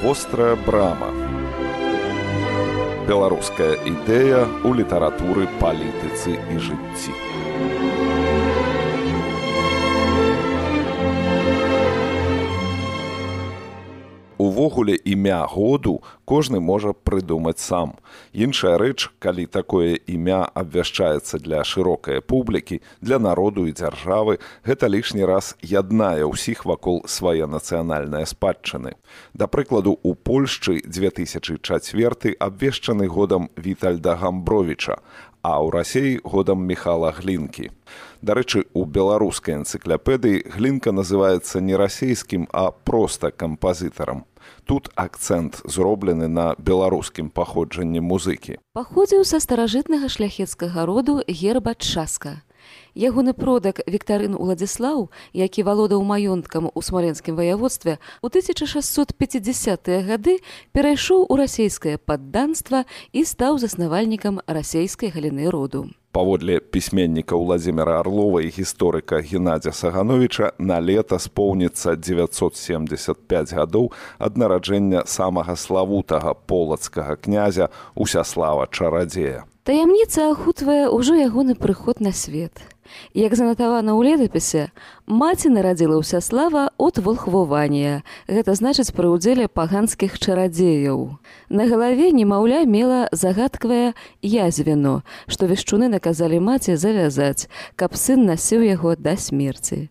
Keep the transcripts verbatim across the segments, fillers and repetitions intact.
Вострая брама. Беларуская ідэя ў літаратуры, палітыцы і жыцці. Увогуле імя году кожны можа прыдумаць сам. Іншая рэч, калі такое імя абвяшчаецца для шырокай публікі, для народу і дзяржавы, гэта лішні раз яднае ўсіх вакол свае нацыянальныя спадчыны. Да прыкладу, у Польшчы две тысячы чацвёрты абвешчаны годам Вітальда Гамбровіча, а ў Расіі годам Міхала Глінкі. Дарэчы, у беларускай энцыклапедыі Глінка называецца не расійскім, а проста кампазітарам. Тут акцэнт зроблены на беларускім паходжанні музыкі. Паходзіў са старажытнага шляхецкага роду Герба Часка. Ягоны продак Віктарын Уладзіслаў, які валодаў маёнткам у смаленскім ваяводстве, у тысяча шасцьсот пяцідзясятыя гады перайшоў у расейскае падданства і стаў заснавальнікам расейскай галіны роду. Паводле пісьменніка Владзіміра Арлова і гісторыка Геннадзя Сагановіча, на лета споўніцца дзевяцьсот семдзесят пяць гадоў ад нараджэння самага славутага полацкага князя Усяслава Чарадзея. Таямніца ахутвае ўжо ягоны прыход на свет. Як занатавана ў летапісе, маці нарадзіла Усяслава ад волхвування, гэта значыць пры ўдзеле паганскіх чарадзеяў. На галаве немаўля мела загадкавае язвіно, што вешчуны наказалі маці завязаць, каб сын насіў яго да смерці.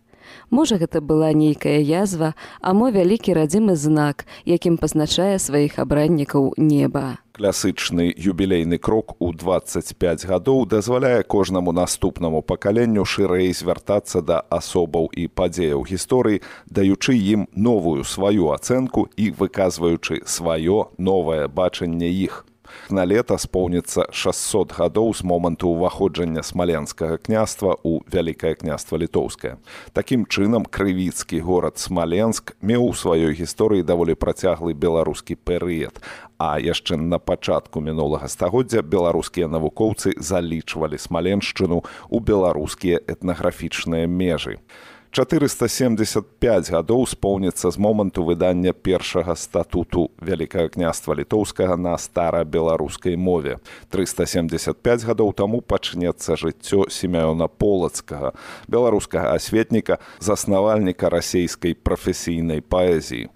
Можа, гэта была нейкая язва, а мо вялікі радзімы знак, якім пазначае сваіх абраннікаў неба. Класычны юбілейны крок у дваццаць пяць гадоў дазваляе кожнаму наступнаму пакаленню шырэй звяртацца да асобаў і падзеяў гісторыі, даючы ім новую сваю ацэнку і выказваючы сваё новае бачанне іх. На лета споўніцца шасцьсот гадоў з моманту ўваходжання смаленскага княства ў Вялікае княства Літоўскае. Такім чынам, крывіцкі горад Смаленск меў у сваёй гісторыі даволі працяглы беларускі перыяд, а яшчэ на пачатку мінулага стагоддзя беларускія навукоўцы залічвалі Смаленшчыну ў беларускія этнаграфічныя межы. чатырыста семдзесят пяць гадоў споўніцца з моманту выдання першага статуту Вялікага княства Літоўскага на старабеларускай мове. трыста семдзесят пяць гадоў таму пачнецца жыццё Семёна Полацкага, беларускага асветніка, заснавальніка расейскай прафесійнай паэзіі.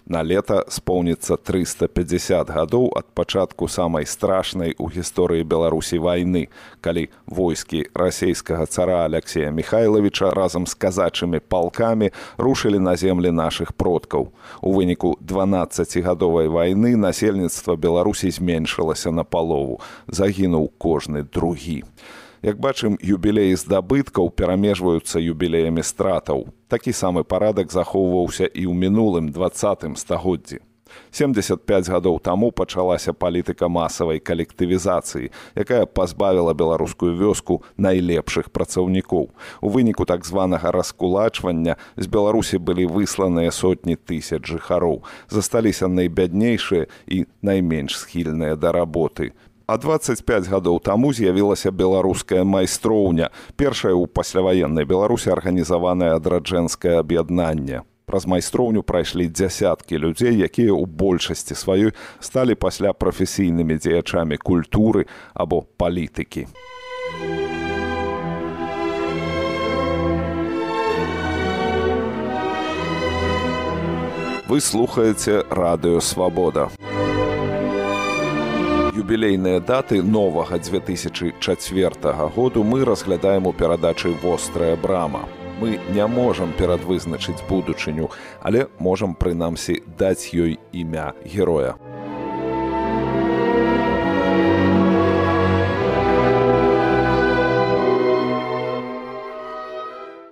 На лета споўніцца трыста пяцьдзясят гадоў ад пачатку самай страшнай у гісторыі Беларусі вайны, калі войскі расейскага цара Аляксея Міхайлавіча разам з казачымі палкамі рушылі на землі нашых продкаў. У выніку дванаццацігадовай вайны насельніцтва Беларусі зменшылася напалову, загінуў кожны другі. Як бачым, юбілеі здабыткаў перамежваюцца юбілеямі стратаў. Такі самы парадак захоўваўся і ў мінулым дваццатым стагоддзі. семдзесят пяць гадоў таму пачалася палітыка масавай калектывізацыі, якая пазбавіла беларускую вёску найлепшых працаўнікоў. У выніку так званага раскулачвання з Беларусі былі высланыя сотні тысяч жыхароў. Засталіся найбяднейшыя і найменш схільныя да работы. А дваццаць пяць гадоў таму з'явілася беларуская майстроўня, першае ў пасляваеннай Беларусі арганізаванае адраджэнскае аб'яднанне. Праз майстроўню прайшлі дзясяткі людзей, якія ў большасці сваёй сталі пасля прафесійнымі дзеячамі культуры або палітыкі. Вы слухаеце Радыё Свабода. Юбілейныя даты новага две тысячы чацвёртага году мы разглядаем у перадачы «Вострая брама». Мы не можам перадвызначыць будучыню, але можам, прынамсі, даць ёй імя героя.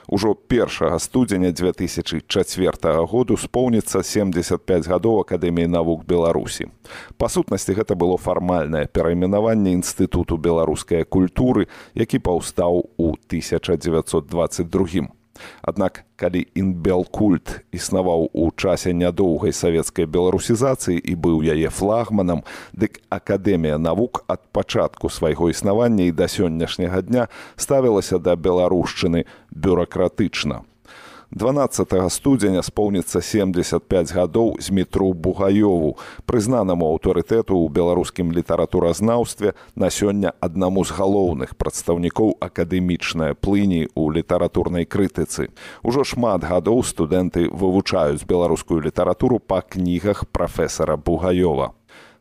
Ужо першага студзеня две тысячы чацвёртага году споўніцца семдзесят пяць гадоў Акадэміі навук Беларусі. Па сутнасці, гэта было фармальнае перайменаванне Інстытуту беларускай культуры, які паўстаў у тысяча дзевяцьсот дваццаць другім. Аднак, калі інбелкульт існаваў у часе нядоўгай савецкай беларусізацыі і быў яе флагманам, дык Акадэмія навук ад пачатку свайго існавання і да сённяшняга дня ставілася да беларушчыны бюракратычна. дванаццатага студзеня споўніцца семдзесят пяць гадоў Змітру Бугаёву, прызнанаму аўтарытэту ў беларускім літаратуразнаўстве, на сёння аднаму з галоўных прадстаўнікоў акадэмічнай плыні ў літаратурнай крытыцы. Ужо шмат гадоў студэнты вывучаюць беларускую літаратуру па кнігах прафесара Бугаёва.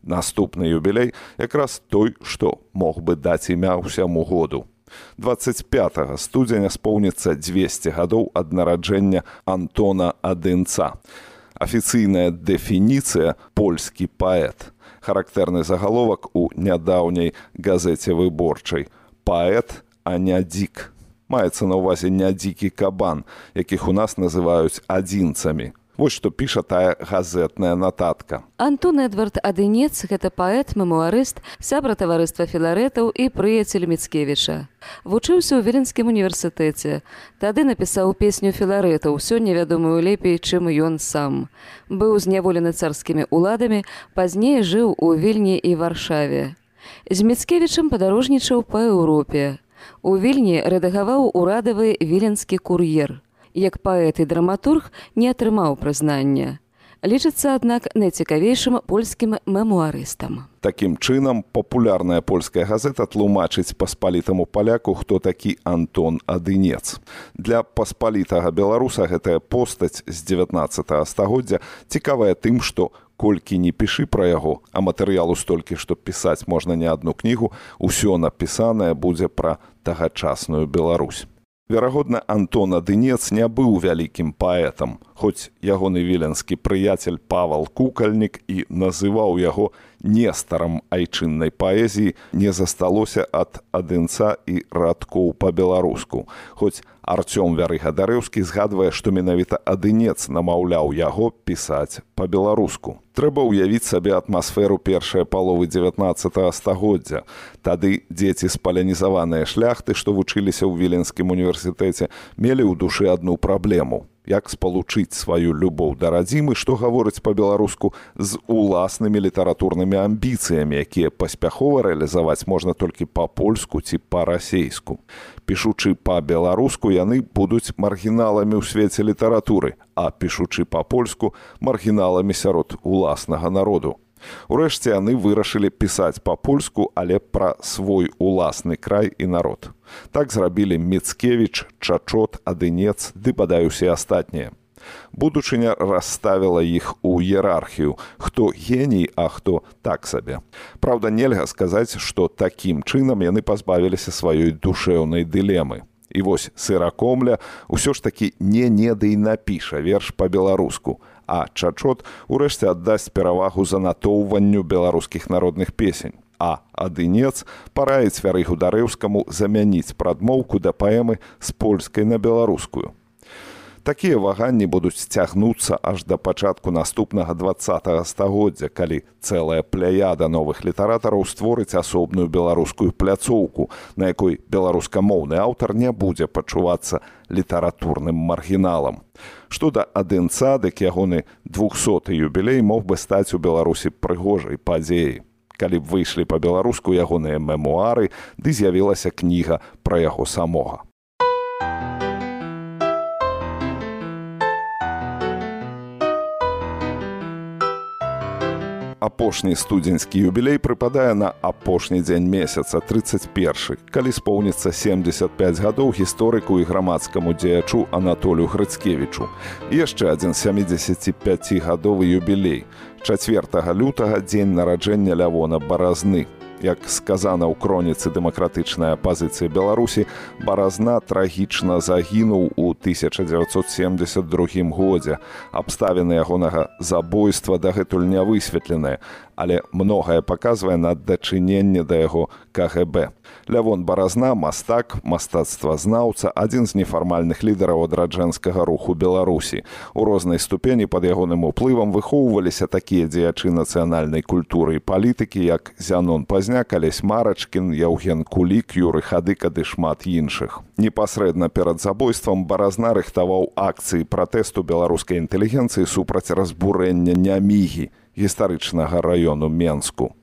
Наступны юбілей якраз той, што мог бы даць імя ўсяму году. дваццаць пятага студзеня споўніцца дзвесце гадоў ад нараджэння Антона Адынца. Афіцыйная дэфініцыя «польскі паэт». Характэрны загаловак у нядаўняй газеце «Выборчай». Паэт, а не дзік. Маецца на ўвазе не дзікі кабан, якіх у нас называюць адзінцамі. Вось што піша тая газетная нататка. Антон Эдвард Адынец – гэта паэт, мемуарыст, сябра таварыства філарэтаў і прыяцель Міцкевіча. Вучыўся ў Віленскім універсітэце. Тады напісаў песню філарэтаў, сёння вядомую лепей, чым ён сам. Быў зняволены царскімі ўладамі, пазней жыў у Вільні і Варшаве. З Міцкевічам падарожнічаў па Еўропе. У Вільні рэдагаваў урадавы «Віленскі кур'ер». Як паэт і драматург не атрымаў прызнання. Лічыцца, аднак, найцікавейшым польскім мемуарыстам. Такім чынам, папулярная польская газета тлумачыць паспалітаму паляку, хто такі Антон Адынец. Для паспалітага беларуса гэтая постаць з дзевятнаццатага стагоддзя цікавая тым, што колькі не пішы пра яго, а матэрыялу столькі, што пісаць можна не адну кнігу, усё напісанае будзе пра тагачасную Беларусь. Верагодна, Антон Адынец не быў вялікім паэтам, хоць ягоны віленскі прыяцель Павал Кукальнік і называў яго нестарам айчыннай паэзіі, не засталося ад Адынца і радкоў па-беларуску. Хоць Арцём Вярыга-Дарэўскі згадвае, што менавіта Адынец намаўляў яго пісаць па-беларуску. Трэба ўявіць сабе атмасферу першай паловы дзевятнаццатага стагоддзя. Тады дзеці з палянізаваныя шляхты, што вучыліся ў Віленскім універсітэце, мелі ў душы адну праблему. Як спалучыць сваю любоў да радзімы, што гаворыць па-беларуску, з уласнымі літаратурнымі амбіцыямі, якія паспяхова рэалізаваць можна толькі па-польску ці па-расейску. Пішучы па-беларуску, яны будуць маргіналамі ў свеце літаратуры, а пішучы па-польску маргіналамі сярод уласнага народу. Урэшце яны вырашылі пісаць па-польску, але пра свой уласны край і народ. Так зрабілі Міцкевіч, Чачот, Адынец ды бадай усе астатнія. Будучыня расставіла іх у іерархію, хто геній, а хто так сабе. Праўда, нельга сказаць, што такім чынам яны пазбавіліся сваёй душэўнай дылемы. І вось Сыракомля ўсё ж такі не-не ды і напіша верш па-беларуску, а Чачот урэшце аддасць перавагу занатоўванню беларускіх народных песень. А Адынец параіць Вярыгу-Дарэўскаму замяніць прадмоўку да паэмы з польскай на беларускую. Такія ваганні будуць цягнуцца аж да пачатку наступнага дваццатага стагоддзя, калі цэлая пляяда новых літаратараў створыць асобную беларускую пляцоўку, на якой беларускамоўны аўтар не будзе пачувацца літаратурным маргіналам. Што да Адынца, дык ягоны двухсоты юбілей мог бы стаць у Беларусі прыгожай падзеяй. Калі б выйшлі па-беларуску ягоныя мемуары, ды з'явілася кніга пра яго самога. Апошні студзеньскі юбілей прыпадае на апошні дзень месяца, трыццаць першы, калі споўніцца семдзесят пяць гадоў гісторыку і грамадскаму дзеячу Анатолію Грыцкевічу. І яшчэ адзін сямідзесяціпяцігадовы юбілей. чацвёртага лютага дзень нараджэння Лявона Баразны. Як сказана ў кроніцы дэмакратычнай апазіцыі Беларусі, Баразна трагічна загінуў у тысяча дзевяцьсот семдзесят другім годзе. Абставіны ягонага забойства дагэтуль не высветленыя, але многае паказвае на дачыненне да яго ка гэ бэ. Лявон Баразна – мастак, мастацтвазнаўца, адзін з нефармальных лідараў адраджэнскага руху Беларусі. У рознай ступені пад ягоным уплывам выхоўваліся такія дзеячы нацыянальнай культуры і палітыкі, як Зянон Пазняк, Алесь Марачкін, Яўген Кулік, Юры Хадыка ды шмат іншых. Непасрэдна перад забойствам Баразна рыхтаваў акцыі пратэсту беларускай інтэлігенцыі супраць разбурэння Нямігі, гістарычнага раёну Менску.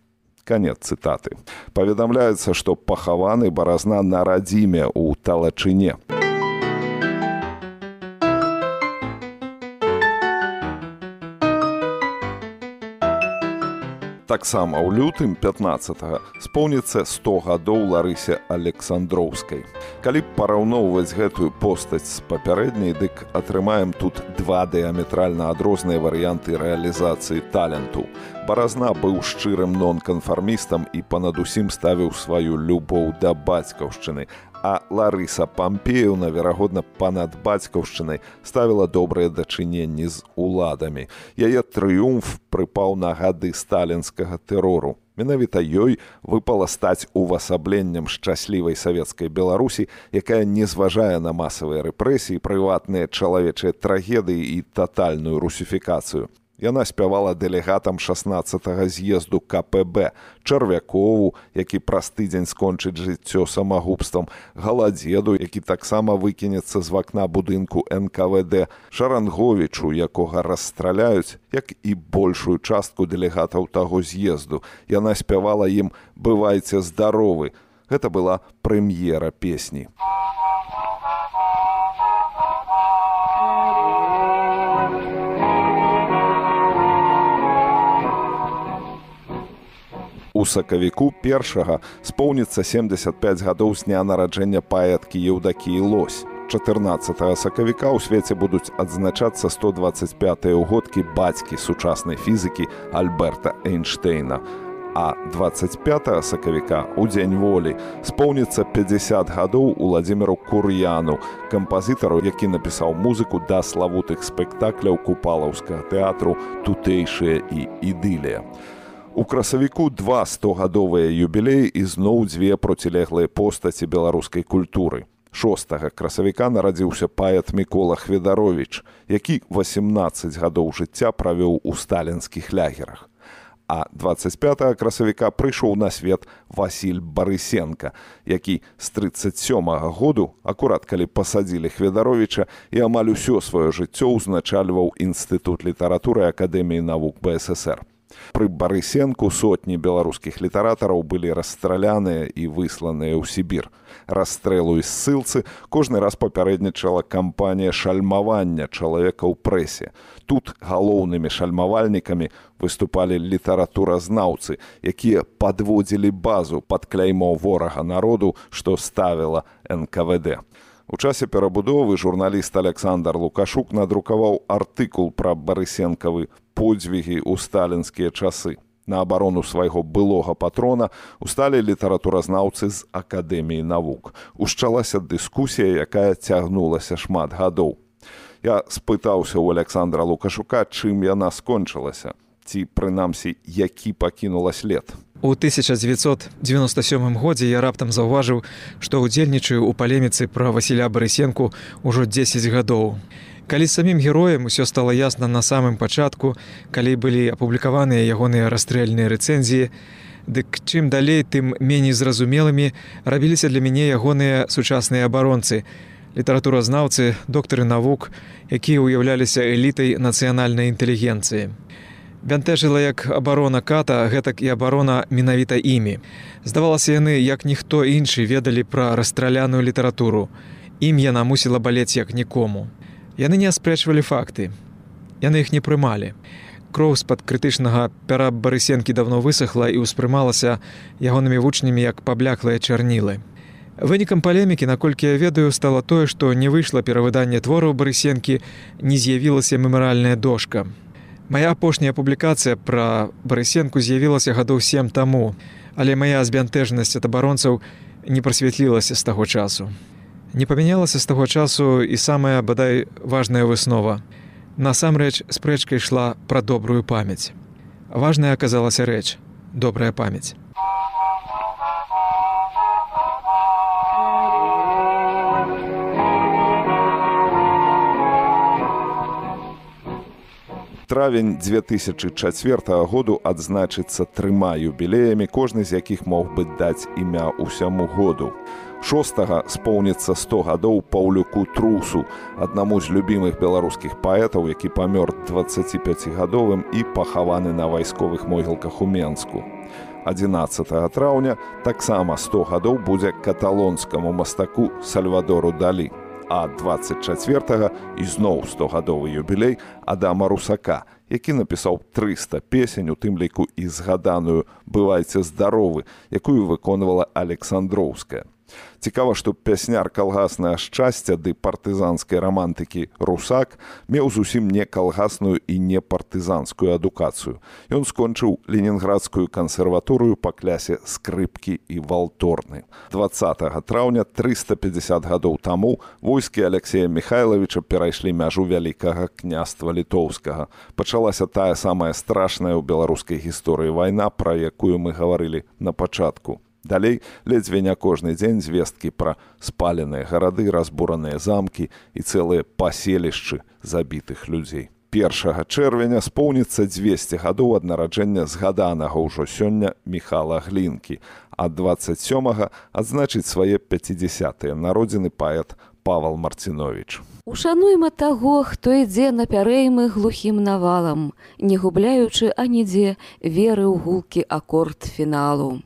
Канец цытаты. Паведамляецца, што пахаваны Баразна на радзіме ў Талачыне. Таксама ў лютым пятнаццатага споўніцца сто гадоў Ларысе Александроўскай. Калі параўноўваць гэтую постаць з папярэдняй, дык атрымаем тут два дыаметральна адрозныя варыянты рэалізацыі таленту. Баразна быў шчырым нонканфармістам і панадусім ставіў сваю любоў да бацькаўшчыны, а Ларыса Пампеевна, верагодна, панад бацькаўшчынай ставіла добрыя дачыненні з уладамі. Яе трыумф прыпаў на гады сталінскага тэрору. Менавіта ёй выпала стаць увасабленнем шчаслівай савецкай Беларусі, якая не зважае на масавыя рэпрэсіі, прыватныя чалавечыя трагедыі і татальную русіфікацыю. Яна спявала дэлегатам шаснаццатага з'езду ка пэ бэ, Чарвякову, які праз тыдзень скончыць жыццё самагубствам, Галадзеду, які таксама выкінецца з вакна будынку эн ка вэ дэ, Шаранговічу, якога расстраляюць, як і большую частку дэлегатаў таго з'езду. Яна спявала ім «Бывайце здаровы». Гэта была прэм'ера песні. У сакавіку першага споўніцца семдзесят пяць гадоў з дня нараджэння паэткі Еўдакіі Лось. чатырнаццатага сакавіка ў свеце будуць адзначацца сто дваццаць пятыя ўгодкі бацькі сучаснай фізікі Альберта Эйнштэйна. А дваццаць пятага сакавіка, у Дзень волі, споўніцца пяцьдзясят гадоў Уладзіміру Кур'яну, кампазітару, які напісаў музыку да славутых спектакляў купалаўскага тэатру «Тутэйшая» і «Ідылія». У красавіку два стогадовыя юбілеі і зноў дзве процілеглыя постаці беларускай культуры. Шостага красавіка нарадзіўся паэт Мікола Хведаровіч, які васемнаццаць гадоў жыцця правёў у сталінскіх лагерах. А дваццаць пятага красавіка прыйшоў на свет Васіль Барысенка, які з трыццаць сёмага году, акурат калі пасадзілі Хведаровіча, і амаль усё сваё жыццё ўзначальваў Інстытут літаратуры Акадэміі навук бэ эс эс ер. Пры Барысенку сотні беларускіх літаратараў былі расстраляныя і высланыя ў Сібір. Расстрэлу і ссылцы кожны раз папярэднічала кампанія шальмавання чалавека ў прэсе. Тут галоўнымі шальмавальнікамі выступалі літаратуразнаўцы, якія падводзілі базу пад кляймо ворага народу, што ставіла эн ка вэ дэ. У часе перабудовы журналіст Александр Лукашук надрукаваў артыкул пра барысенкавы подзвігі ў сталінскія часы. На абарону свайго былога патрона усталі літаратуразнаўцы з Акадэміі навук. Ушчалася дыскусія, якая цягнулася шмат гадоў. Я спытаўся ў Александра Лукашука, чым яна скончылася, ці, прынамсі, які пакінула след. У тысяча дзевяцьсот дзевяноста сёмым годзе я раптам заўважыў, што ўдзельнічаю ў палеміцы пра Васіля Барысенку ўжо дзесяць гадоў. Калі самім героем усё стала ясна на самым пачатку, калі былі апублікаваныя ягоныя расстрэльныя рэцэнзіі, дык чым далей, тым меней зразумелымі рабіліся для мяне ягоныя сучасныя абаронцы, літаратуразнаўцы, доктары навук, якія ўяўляліся элітай нацыянальнай інтэлігенцыі. Бянтэжыла як абарона ката, гэтак і абарона менавіта імі. Здавалася, яны, як ніхто іншы, ведалі пра расстраляную літаратуру. Ім яна мусіла балець як нікому. Яны не аспрэчвалі факты. Яны іх не прымалі. Кроў з-пад крытычнага пяра Барысенкі даўно высохла і ўспрымалася ягонымі вучнямі як пабляклыя чарнілы. Вынікам палемікі, наколькі я ведаю, стала тое, што не выйшла перавыданне твораў Барысенкі, не з'явілася мемарыяльная дошка. Мая апошняя публікацыя пра Барысенку з'явілася гадоў сем таму, але мая збянтэжнасць ад абаронцаў не прасвятлілася з таго часу. Не памянялася з таго часу і самая, бадай, важная выснова. Насамрэч, спрэчка ішла пра добрую памяць. Важная аказалася рэч – добрая памяць. Травень дзве тысячы чацвёртага году адзначыцца трыма юбілеямі, кожны з якіх мог бы даць імя ўсяму году. Шостага споўніцца сто гадоў Паўлюку Трусу, аднаму з любімых беларускіх паэтаў, які памёр дваццаціпяцігадовым і пахаваны на вайсковых могілках у Менску. адзінаццатага траўня таксама сто гадоў будзе каталонскаму мастаку Сальвадору Далі. А дваццаць чацвёртага ізноў стогадовы юбілей Адама Русака, які напісаў трыста песень, у тым ліку і згаданую «Бывайце здаровы», якую выконвала Александроўская. Цікава, што пясняр калгаснае шчасця ды партызанскай рамантыкі Русак меў зусім не калгасную і не партызанскую адукацыю. Ён скончыў Ленінградскую кансерваторыю па клясе скрыпкі і валторны. дваццатага траўня трыста пятьдесят гадоў таму войскі Алексея Михайловича перайшлі мяжу Вялікага княства Літоўскага. Пачалася тая самая страшная ў беларускай гісторыі вайна, пра якую мы гаварылі на пачатку. Далей ледзьве не кожны дзень звесткі пра спаленыя гарады, разбураныя замкі і цэлыя паселішчы забітых людзей. першага чэрвеня споўніцца дзвесце гадоў ад нараджэння згаданага ўжо сёння Міхала Глінкі, а дваццаць сёмага адзначыць свае пяцідзясятыя народзіны паэт Павал Марціновіч. Ушануйма таго, хто ідзе на пярэймы глухім навалам, не губляючы анідзе веры ў гулкі акорд фіналу.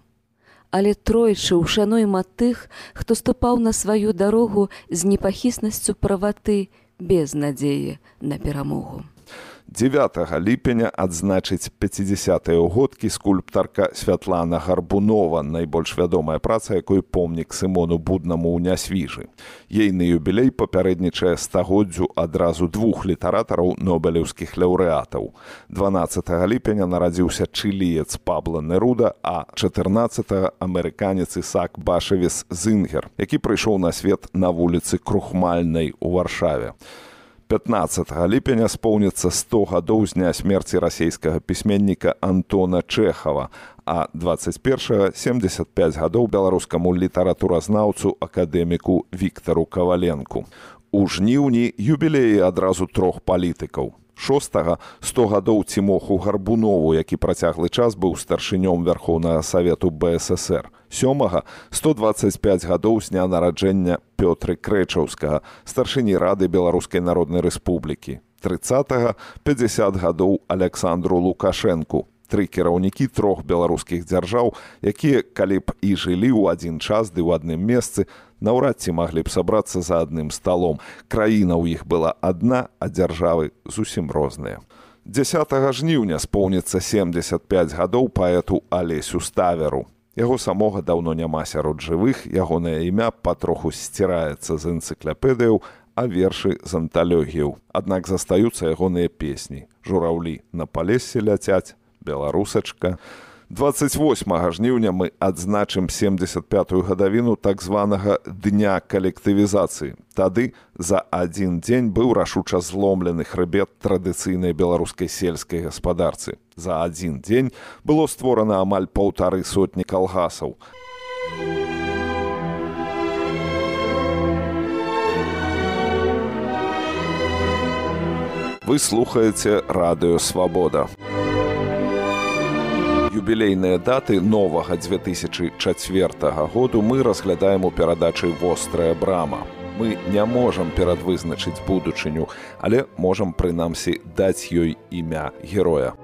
Але тройчы ушануйма тых, хто ступаў на сваю дарогу з непахіснасцю праваты, без надзеі на перамогу. дзевятага ліпеня адзначыць пяцідзясятыя ўгодкі скульптарка Святлана Гарбунова, найбольш вядомая праца, якой помнік Сымону Буднаму ў Нясвіжы. Ейны юбілей папярэднічае стагоддзю адразу двух літаратараў нобелеўскіх лаўрэатаў. дванаццатага ліпеня нарадзіўся чыліец Пабло Неруда, а чатырнаццатага амерыканец Ісаак Башавіс Зінгер, які прыйшоў на свет на вуліцы Крухмальнай у Варшаве. пятнаццатага ліпеня споўніцца сто гадоў з дня смерці расейскага пісьменніка Антона Чэхава, а дваццаць першага семдзесят пяць гадоў беларускаму літаратуразнаўцу акадэміку Віктару Каваленку. У жніўні юбілеі адразу трох палітыкаў. шостага сто гадоў Цімоху Гарбунову, які працяглы час быў старшынём Вярхоўнага Савету Бэ Эс Эс Эр. сёмага сто дваццаць пяць гадоў з дня нараджэння Пётры Крэчаўскага, старшыні Рады Беларускай Народнай Рэспублікі. трыццатага пятьдесят гадоў Аляксандру Лукашэнку. Тры кіраўнікі трох беларускіх дзяржаў, якія, калі б і жылі ў адзін час ды ў адным месцы, наўрад ці маглі б сабрацца за адным сталом. Краіна ў іх была адна, а дзяржавы зусім розныя. дзесятага жніўня споўніцца семдзесят пяць гадоў паэту Алесю Ставеру. Яго самога даўно няма сярод жывых, ягонае імя патроху сціраецца з энцыклапедыяў, а вершы з анталогіяў. Аднак застаюцца ягоныя песні. Жураўлі на палесе ляцяць, беларусачка. дваццаць восьмага жніўня мы адзначым семдзесят пятую гадавіну так званага дня калектывізацыі. Тады за адзін дзень быў рашуча зломлены хрыбет традыцыйнай беларускай сельскай гаспадарцы. За адзін дзень было створана амаль паўтары сотні калгасаў. Вы слухаеце Радыё Свабода. Юбілейныя даты новага дзве тысячы чацвёртага году мы разглядаем у перадачы «Вострая брама». Мы не можам перадвызначыць будучыню, але можам, прынамсі, даць ёй імя героя.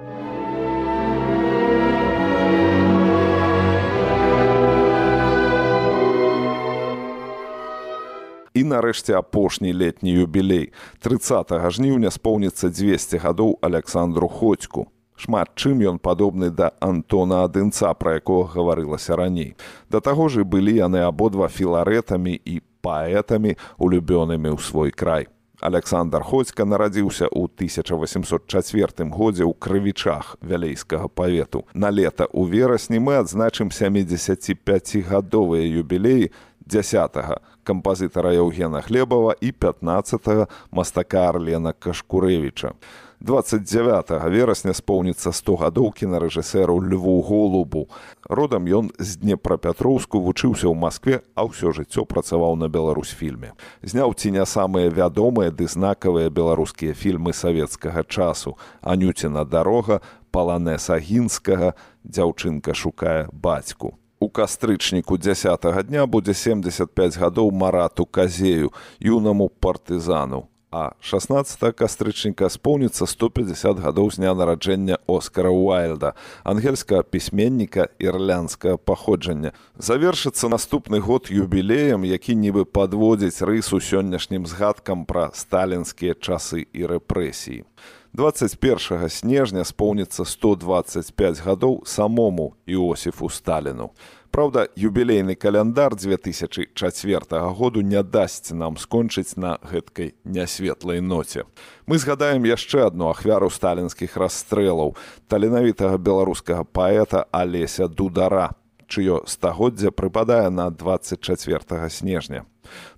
І нарэшце апошні летні юбілей. трыццатага жніўня споўніцца дзвесце гадоў Аляксандру Ходзьку. Шмат чым ён падобны да Антона Адынца, пра якога гаварылася раней. Да таго ж і былі яны абодва філарэтамі і паэтамі, улюбёнымі ў свой край. Аляксандр Ходзька нарадзіўся ў тысяча восемьсот чацвёртым годзе ў Крывічах вялейскага павету. На лета ў верасні мы адзначым сямідзесяціпяцігадовыя юбілеі дзясятага кампазітара Яўгена Глебава і пятнаццатага мастака Арлена Кашкурэвіча. дваццаць дзявятага верасня споўніцца сто гадоў кінарэжысэру Льву Голубу. Родам ён з Днепрапятроўску, вучыўся ў Маскве, а ўсё жыццё працаваў на Беларусьфільме. Зняў ці не самыя вядомыя ды знакавыя беларускія фільмы савецкага часу: «Анюціна дарога», «Паланэса Гінскага», «Дзяўчынка шукае бацьку». У кастрычніку дзясятага дня будзе семдзесят пяць гадоў Марату Казею, юнаму партызану. А шаснаццатага кастрычніка споўніцца сто пятьдесят гадоў з дня нараджэння Оскара Уайльда, ангельскага пісьменніка ірландскага паходжання. Завершыцца наступны год юбілеем, які нібы падводзіць рысу сённяшнім згадкам пра сталінскія часы і рэпрэсіі. дваццаць першага снежня споўніцца сто дваццаць пяць гадоў самому Іосіфу Сталіну. Праўда, юбілейны каляндар дзве тысячы чацвёртага году не дасць нам скончыць на гэткай нясветлай ноце. Мы згадаем яшчэ адну ахвяру сталінскіх расстрэлаў, таленавітага беларускага паэта Алеся Дудара, чыё стагоддзе прыпадае на дваццаць чацвёртага снежня.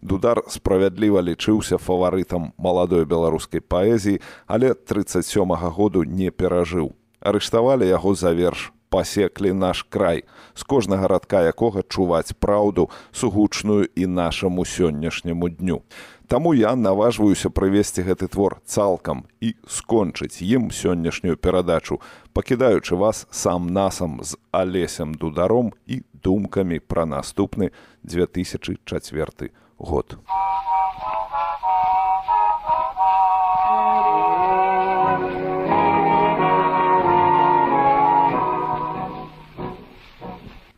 Дудар справядліва лічыўся фаварытам маладой беларускай паэзіі, але трыццаць сёмага году не перажыў. Арыштавалі яго за верш «Пасеклі наш край», з кожнага радка якога чуваць праўду, сугучную і нашаму сённяшняму дню. Таму я наважваюся прывесці гэты твор цалкам і скончыць ім сённяшнюю перадачу, пакідаючы вас сам-насам з Алесем Дударом і думкамі пра наступны дзве тысячы чацвёрты год.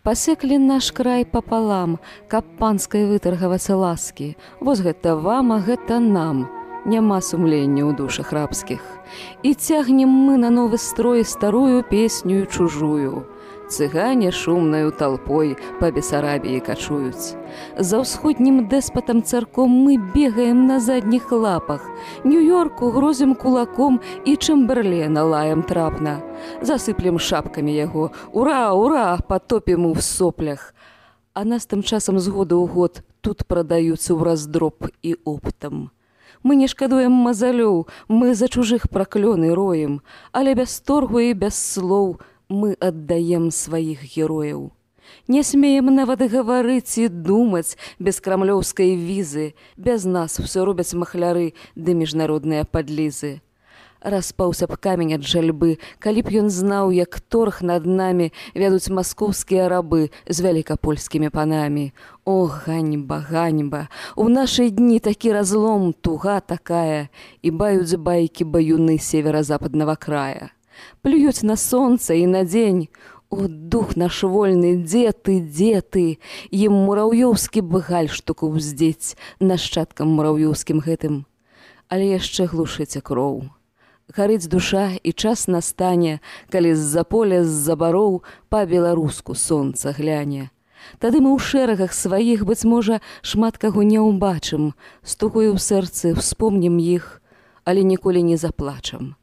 Пасеклі наш край папалам, каб панскай вытаргавацца ласкі. Вось гэта вам, а гэта нам. Няма сумлення ў душах рабскіх. І цягнем мы на новы строй старую песню чужую. Цыгане шумнаю толпой па Бесарабіі качуюць. За ўсходнім дэспатам царком мы бегаем на задніх лапах. Нью-Йорку грозім кулаком і Чэмберлена лаем трапна. Засыплем шапкамі яго. Ура, ура, патопім у соплях. А нас тым часам з года ў год тут прадаюцца ў раздроб і оптам. Мы не шкадуем мазалёў, мы за чужых праклёны роем, але без торгу і без слоў мы аддаем сваіх герояў. Не смеем нават гаварыць і думаць без крамлёўскай візы, без нас усё робяць махляры ды міжнародныя падлізы. Распаўся б камень ад жальбы, калі б ён знаў, як торг над намі вядуць маскоўскія рабы з вялікапольскімі панамі. О, ганьба, ганьба, у нашы дні такі разлом, туга такая, і баюць байкі баюны северо-западнага края. Плююць на сонца і на дзень. О, дух наш вольны, дзе ты, дзе ты? Ім мураўёўскі б гальштук уздзець нашчадкам мураўёўскім гэтым. Але яшчэ глушыце кроў. Гарыць душа, і час настане, калі з-за поля, з-за бароў па-беларуску сонца гляне. Тады мы ў шэрагах сваіх, быць можа, шмат каго не ўбачым, з тугою ў сэрцы ўспомнім іх, але ніколі не заплачам.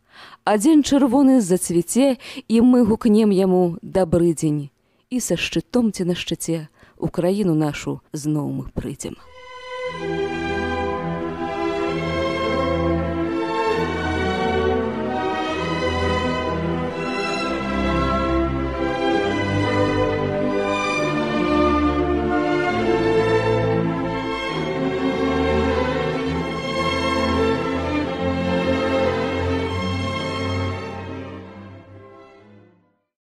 А дзень чырвоны зацвіце, і мы гукнем яму «Дабры дзень». І са шчытом ці на шчыце ў краіну нашу зноў мы прыйдзем.